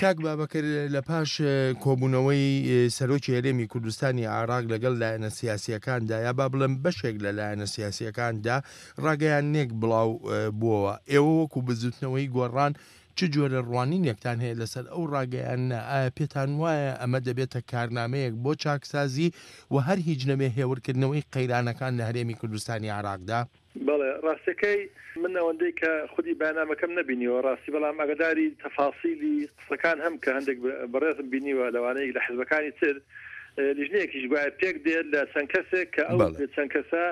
کاک بابەکر لە پاش کۆبوونەوەی سەرۆکی هەرێمی کوردستانی عێراق لەگەڵ لایەنە سیاسییەکاندا یا با بڵێم بەشێک لە لایەنە سیاسییەکاندا ڕاگەیاندنێک بڵاو بووەوە، ئێوە وەکو بزووتنەوەی گۆڕان چ جۆرە ڕوانینێکتان هەیە لەسەر ئەو ڕاگەیاندنە، ئایا پێتان وایە ئەمە دەبێتە کارنامەیەک بۆ چاکسازی و هەر هیچ نەبێ هێورکردنەوەی قەیرانەکان لە هەرێمی کوردستانی عێراقدا؟ بەڵێ ڕاستەکەی من ئەوەندەی کە خودی بەیاننامەکەم نەبینیوە ڕاستی بەڵام ئاگاداری تەفاسیلی قسەکان هەم کە هەندێک بەڕێزم بینیوە لەوانەیە لە حزبەکانی تر لیژنەیەکیش گوایە پێک دێت لە چەند کەسێک کە ئەو چەند کەسە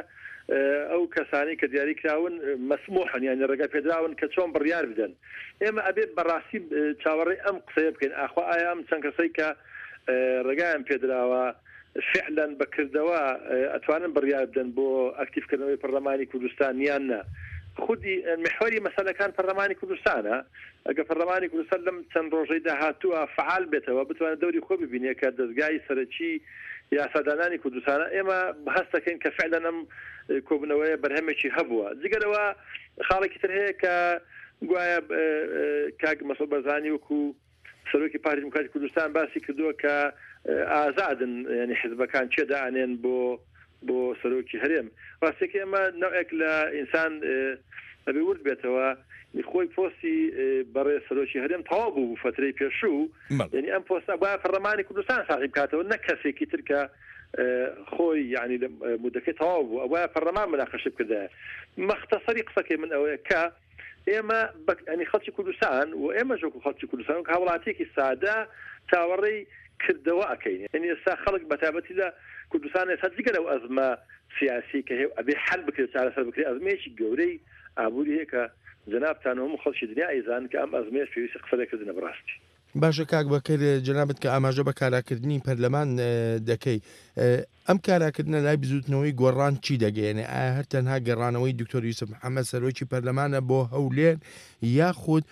ئەو کەسانی کە دیاری کراون مەسموحن یانی ڕێگا پێدراون کە چۆن بڕیار بدەن ئێمە ئەبێ بەڕاستی چاوەڕێی ئەم قسەیە بکەین ئاخوا ئایا ئەم چەند کەسەی کە ڕێگایان پێدراوە فعلا بە کردەوە ئەتوانن بڕیار بدەن بۆ ئەکتیڤ کردنەوەی پەرلەمانی کوردستان یان نا؟ خودی میحوەری مەسەلەکان پەرلەمانی کوردستانە، ئەگەر پەرلەمانی کوردستان لەم چەند ڕۆژەی داهاتووە فەعال بێتەوە بتوانێت دەوری خۆی ببینێ کە دەزگای سەرەکی یاسادانانی کوردستانە، ئێمە هەست دەکەین کە فعلا ئەم کۆبوونەوەیە بەرهەمێکی هەبووە. جگە لەوە خاڵێکی تر هەیە کە گوایە کاک مەسعود بەرزانی وەکوو سەرۆکی پارتی دیموکراتی کوردستان باسی کردووە کە ئازادن یعنی حزبەکان کێ دائەنێن بۆ بۆ سەرۆکی هەرێم. ڕاستیەکەی ئەمە نەوعێک لە ئینسان ئەبێ ورد بێتەوە خۆی پۆستی بەڕێز سەرۆکی هەرێم تەواو بوو بوو فەترەی پێشوو یعنی ئەم پۆستە بایە پەرلەمانی کوردستان ساغی بکاتەوە نەک کەسێکی تر کە خۆی یعنی مدەکەی تەواو بوو ئەوە پەرلەمان مناقەشە بکردایە. مەختصری قسەکەی من ئەوەیە کە ئێمە بە یانی خەڵکی کوردستان و ئێمەش وەکو خەڵکی کوردستان وەک هاوڵاتیەکی سادە چاوەڕێی کردەوە ئەکەین یانی ئێستا خەڵک بەتایبەتی لە کوردستان ئێستا جگە لەو ئەزمە سیاسی کە هەیە و ئەبێ حەل بکرێت چارەسەر بکرێت ئەزمەیەکی گەورەی ئابووری هەیە کە جەنابتان و هەموو خەڵکی دنیا ئەیزانن کە ئەم ئەزمەیەش پێویستی قسە لێکردنە بەڕاستی. باشە کاک بەکر جەنابت کە ئاماژە بە کاراکردنی پەرلەمان دەکەی ئەم کاراکردنە لای بزوتنەوەی گۆڕان چی دەگەیەنێ ئایا هەر تەنها گەڕانەوەی دکتۆر یوسف محەممەد سەرۆکی پەرلەمانە بۆ هەولێر یاخود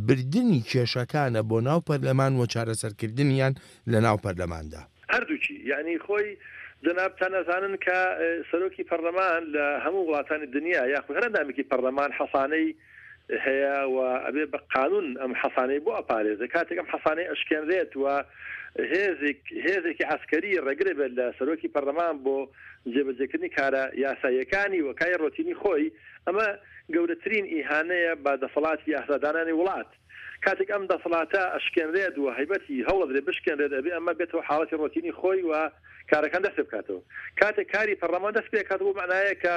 بردننی کێشەکانە بۆ ناو پەرلەمان و چارەسەرکردنیان لە ناو پەرلەماندا؟ هەردووکی یعنی خۆی جەنابتان ئەزانن کە سەرۆکی پەرلەمان لە هەموو وڵاتانی دنیا یاخود هەر ئەندامێکی پەرلەمان حەسانەی هەیە و ئەبێ بە قانون ئەم حەسانەی بۆ ئەپارێزێ کاتێک ئەم حەسانەی ئەشکێنرێت و هێزێک هێزێکی عەسکەری ڕێگرە بێت لە سەرۆکی پەرلەمان بۆ جێبەجێکردنی کارە یاساییەکانی و کاری ڕۆتینی خۆی ئەمە گەورەترین ئیهانەیە بە دەسەڵاتی یاسادانانی وڵات کاتێک ئەم دەسەڵاتە ئەشکێنرێت و هەیبەتی هەوڵەدرێ بشکێنرێت ئەبێ ئەمە بێتەوە حاڵەتی ڕۆتینی خۆی و کارەکان دەست پێ بکاتەوە کاتێک کاری پەرلەمان دەست پێکات بۆ معنایە کە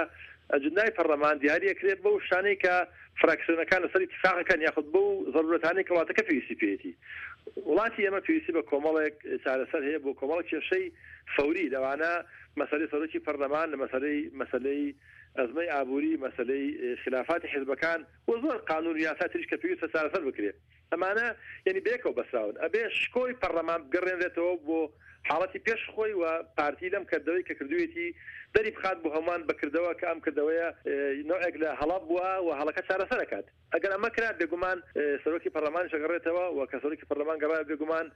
ئەجندای پەرلەمان دیاری ئەکرێت بەو شتانەی کە فراکسیۆنەکان لەسەری ئیتیفاق ئەکەن یاخود بەو زەرورەتانەی کە وڵاتەکە پێویستی پێیەتی. وڵاتی ئێمە پێویستی بە کۆمەڵێک چارەسەر هەیە بۆ کۆمەڵێک کێشەی فەوری لەوانە مەسەلەی سەرۆکی پەرلەمان، لە مەسەلەی مەسەلەی ئەزمەی ئابووری، مەسەلەی خلافاتی حزبەکان و زۆر قانون و یاسای تریش کە پێویستە چارەسەر بکرێت. ئەمانە یەنی بەیەکەوە بەسراون. ئەبێ شکۆی پەڕلەمان بگەڕێنرێتەوە بۆ حاڵەتی پێش خۆی و پارتی لەم کردەوەی کە کردوویەتی دەری بخات بۆ هەمووان بە کردەوە کە ئەم کردەوەیە نەوعێک لە هەڵە بووە و هەڵەکە چارەسەر ئەکات. ئەگەر ئەمە کرا بێگومان سەرۆکی پەڕلەمانیش ئەگەڕێتەوە و کە سەرۆکی پەڕلەمان گەڕایەوە بێگومان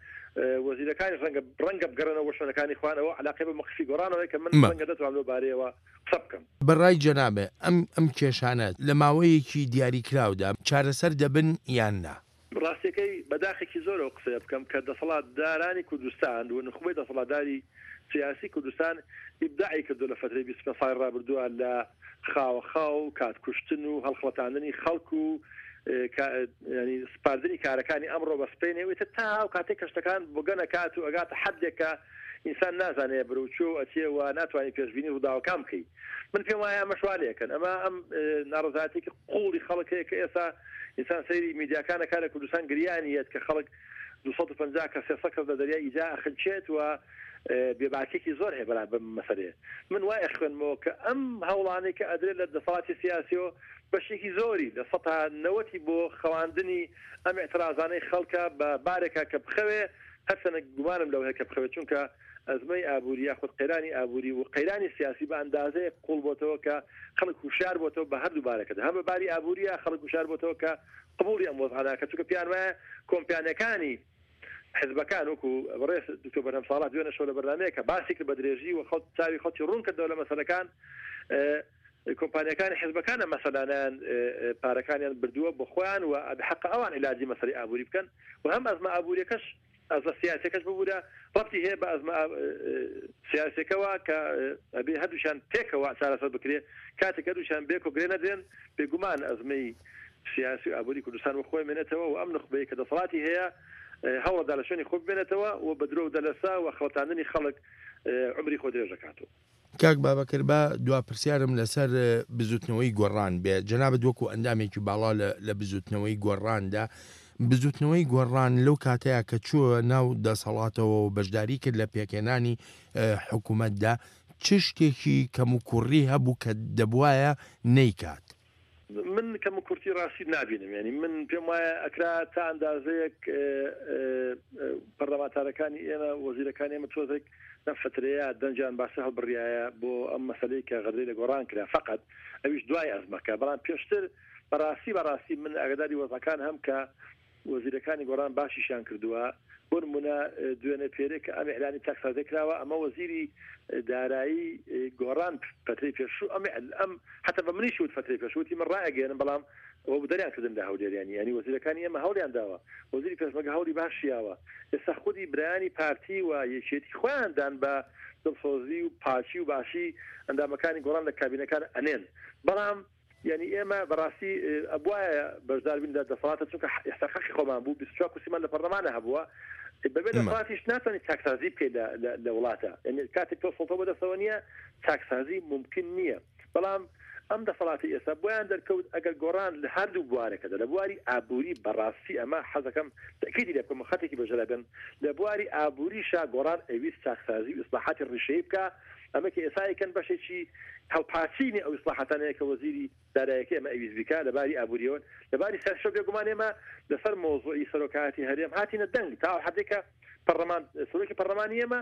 وەزیرەکانیش ڕەنگە ڕەنگە بگەڕێنەوە بۆ شوێنەکانی خۆیان ئەوە عەلاقەی بە مەوقیفی گۆڕانەوە هەیە کە من ڕەنگە نەتوانم لەو بارەیەوە قسە بکەم. بە ڕای جەنابت ئەم ئەم کێشانە لە ماوەیەکی دیاریکراودا چارەسەر دەبن یان نا؟ ڕاستیەکەی بە داخێکی زۆرەوە قسەیە بکەم کە دەسەڵاتدارانی کوردستان و نوخبەی دەسەڵاتداری سیاسی کوردستان ئیبداعی کردوە لە فەترەی 25 ساڵی ڕابردووە لە خاوە خاو و کات کوشتن و هەڵخڵەتاندنی خەڵک و ینی سپاردنی کارەکانی ئەمڕۆ بە سپەینێ و ئیتر تا ئەو کاتێک کە شتەکان بۆگەن ئەکات و ئەگاتە حەدێک کە ئینسان نازانێ بەرەو کوێ و ئەچێ و ناتوانی پێشبینی ڕووداوەکان بکەی من پێم وایە ئەمەش وا لێکەن ئەمە ئەم ناڕەزایەتێکی قوڵی خەڵک هەیە کە ئێستا ئینسان سەیری میدیاکان ئەکات لە کوردستان گریانی یەت کە خەڵک 250 کەس 300 کەس لە دەریای ئیجا ئەخنکێت و بێباکێکی زۆر هەیە بەرامبەر بەم مەسەلەیە من وای ئەخوێنمەوە کە ئەم هەوڵانەی کە ئەدرێت لە دەسەڵاتی سیاسیەوە بەشێکی زۆری لە سەتا نەوەتی بۆ خەواندنی ئەم ئیعترازانەی خەڵکە بە بارێکا کە بخەوێ هەرچەنە گومانم لەوە هەیە کە بخەوێت چونکە ئەزمەی ئابووری یاخود قەیرانی ئابووری و قەیرانی سیاسی بە ئەندازەیەک قوڵ بۆتەوە کە خەڵک هوشیار بۆتەوە بە هەردوو بارەکەدا هەم بە باری ئابووریە خەڵک هوشیار بۆتەوە کە قبوڵی ئەم وەزعە ناکات چونکە پێیان وایە کۆمپیانیەکانی حزبەکان وەکو بەڕێز دکتۆر بەرهەم ساڵح دوێنێ شەو لە بەرنامەیەکە باسی کرد بە درێژی و خەڵک چاوی خەڵکی ڕوون کردەوە لە مەسەلەکان. کۆمپانیاکانی حزبەکان ئەم مەسەلانەیان پارەکانیان بردووە بۆ خۆیان و حەقە ئەوان عیلاجی مەسەلەی ئابووری بکەن و هەم ئەزمە ئابووریەکەش ئەزمە سیاسیەکەش ببورە ڕەبتی هەیە بە ئەزمە سیاسیەکەوە کە ئەبێ هەردووشیان پێکەوە چارەسەر بکرێ کاتێک هەردووشیان بێکۆ گرێ نەدرێن بێگومان ئەزمەی سیاسی و ئابووری کوردستان وە خۆی مێنێتەوە و ئەم نوخبەیە کە دەسەڵاتی هەیە هەوڵدا لە شوێنی خۆ بمێنێتەوە و بە درۆ و دەلەسە و خەڵەتاندنی خەڵک عومری خۆ درێژ دەکاتەوە. کاک بابەکر با دوا پرسیارم لەسەر بزوتنەوەی گۆڕان بێ، جەنابت وەکو ئەندامێکی باڵا لە بزوتنەوەی گۆڕاندا، بزوتنەوەی گۆڕان لەو کاتەیا کە چووە ناو دەسەڵاتەوە و بەشداری کرد لە پێکهێنانی حکومەتدا، چ شتێکی کەموکوڕی هەبوو کە دەبوایە نەیکات؟ من کەم و کورتی ڕاستی نابینم یانی من پێم وایە ئەکرا تا ئەندازەیەک پەرلەمانتارەکانی ئێمە وەزیرەکانی ئێمە تۆزێک لەم فترەیە دەنگیان باشتر هەڵبڕایە بۆ ئەم مەسەلەی کە غەدرەی لە گۆڕان کرا فقط ئەویش دوای ئەزمەکە بەڵام پێشتر بەڕاستی بەڕاستی من ئاگداری وەزعەکان هەم کە وەزیرەکانی گۆڕان باشیشیان کردووە، بۆ نموونە دوێنێ پێرێ کە ئەم ئیعلانی چاکسازیە کراوە ئەمە وەزیری دارایی گۆڕان فەترەی پێشوو ئەم ئەم حتا بە منیش وت فەترەی پێشوو وتی من ڕائەگەیەنم بەڵام ئەوە بوو دەریان کردن لە هەولێر یانی یانی وەزیرەکانی ئێمە هەوڵیان داوە وەزیری پێشمەرگە هەوڵی باشی یاوە ئێستا خودی برایانی پارتی و یەکێتی خۆیان دان بە دڵسۆزی و پاکی و باشی ئەندامەکانی گۆڕان لە کابینەکان ئەنێن بەڵام یانی ئێمە بەڕاستی ئەبوایە بەشدار بین لە دەسەڵاتە چونکە ئێستا حەقی خۆمان بوو 24 کورسیمان لە پەرلەمانە هەبووە بەبێ دەسەڵاتیش ناتوانانی چاکسازی بکەیت لە وڵاتە یعنی کاتێک تۆ سڵتە بەدەستەوە نییە چاکسازی ممکن نییە بەڵام ئەم دەسەڵاتی ئێستا بۆیان دەرکەوت ئەگەر گۆڕان لە هەردوو بوارەکەدا لە بواری ئابووری بەڕاستی ئەمە حەزەکەم تەکیدی لێ بکەم خەتێکی بەژەرا بێن لە بواری ئابووریشا گۆڕان ئەویست چاکسازی و ئیسلاحاتی ڕیشەیی بکە ئەمە کە ئێستا ئەیکەن بەشێکی هەڵپاچینی ئەو ئیسڵاحاتانەیە کە وەزیری دارایەکەی ئێمە ئەویست بیکا لە باری ئابووریەوە، لە باری سیاسیشەوە بێگومان ئێمە لەسەر مەوزوعی سەرۆکایەتی هەرێم هاتینە دەنگ تا ئەو حەدەی کە پەڕلەمان سەرۆکی پەڕلەمانی ئێمە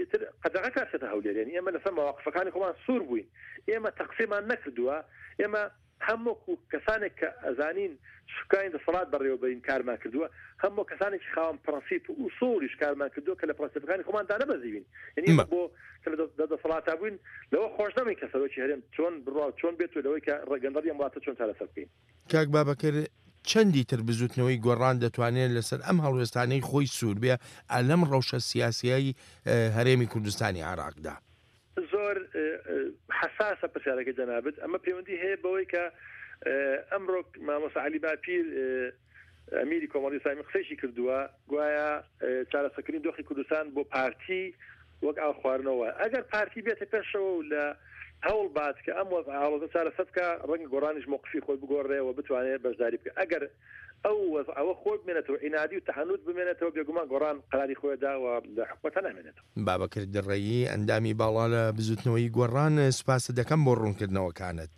ئیتر قەدەغە کرا بچێتە هەولێر یانی ئێمە لەسەر مەواقفەکانی خۆمان سوور بووین ئێمە تەقسیرمان نەکردووە ئێمە هەم وەکو کەسانێک کە ئەزانین سوکانی دەسەڵات بەڕێوەبەرین کارمان کردووە، هەم وەک کەسانێکی خاوەن پڕەنسیپ و ئوسوڵیش کارمان کردووە کە لە پڕەنسیپەکانی خۆمان دانەبەزیوین. یەنی ئێمە بۆ کە لە دەسەڵاتا بووین لەوە خۆش نەبووین کە سەرۆکی هەرێم چۆن بڕوا و چۆن بێت و لەوەی کە گەندەڵی ئەم وڵاتە چۆن چارەسەر بکەین. کاک بابەکر چەندی تر بزوتنەوەی گۆڕان دەتوانێ لەسەر ئەم هەڵوێستانەی خۆی سوور بێ لەم ڕەوشە سیاسیەی هەرێمی کوردستانی عێراقدا؟ زۆر حەساسە پرسیارەکەی جەنابت، ئەمە پەیوەندی هەیە بەوەی کە ئەمڕۆ مامۆستا عەلی باپیر ئەمیری کۆمەڵی ئیسلامی قسەیشی کردووە گوایە چارەسەکردنی دۆخی کوردستان بۆ پارتی وەک ئاو خواردنەوە ئەگەر پارتی بێتە پێشەوە و لە هەوڵ بات کە ئەم وەزعە ئاڵۆزە چارەسەر بکا ڕەنگە گۆڕانیش مۆقفی خۆی بگۆڕێ و بتوانێت بەشداری بکە ئەگەر ئەو وەزعەوە خۆی بمێنێتەوە عینادی و تەعنوت بمێنێتەوە بێگومان گۆڕان قەراری خۆی دا و لە حکومەتە نامێنێتەوە. بابەکر دڕەیی، ئەندامی باڵا لە بزوتنەوەی گۆڕان، سوپاست دەکەم بۆ ڕوونکردنەوەکانت.